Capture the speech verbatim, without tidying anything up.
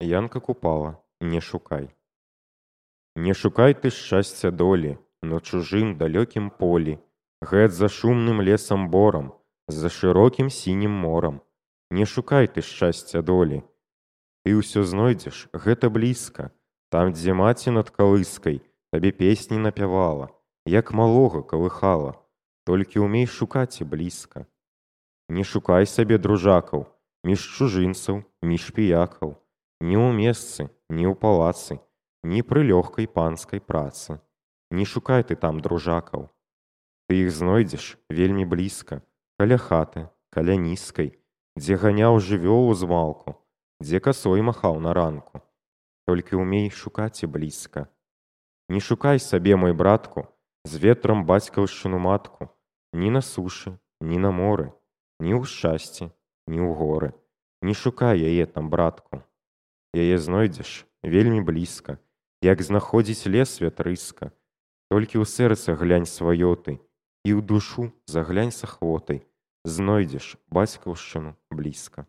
Янка Купала, не шукай. Не шукай ты шчасця долі на чужым далёкім полі, гэт за шумным лесам борам, за шырокім сінім морам. Не шукай ты шчасця долі. Ты ўсё знойдзеш, гэта блізка, там, дзе маці над калыскай табе песні напявала, як малога калыхала, толькі ўмей шукаць і блізка. Не шукай сабе дружакаў між чужынцаў, між піякаў, ні ў месцы, ні ў палацы, ні пры лёгкай панскай працы. Не шукай ты там дружакаў. Ты іх знойдзеш вельмі блізка, каля хаты, каля нізкай, дзе ганяў жывёлу змалку, дзе касой махаў на ранку. Толькі ўмей шукаць і блізка. Не шукай сабе, мой братку, з ветрам бацькаўшчыну матку, ні на сушы, ні на моры, ні ў шчасці, ні ў горы. Не шукай яе там, братку. Яе знойдзеш вельмі блізка, як знаходзіць лес вятрыска. Толькі ў сэрца глянь сваё ты, і ў душу заглянь с ахвотай, знойдзеш бацькаўшчыну блізка.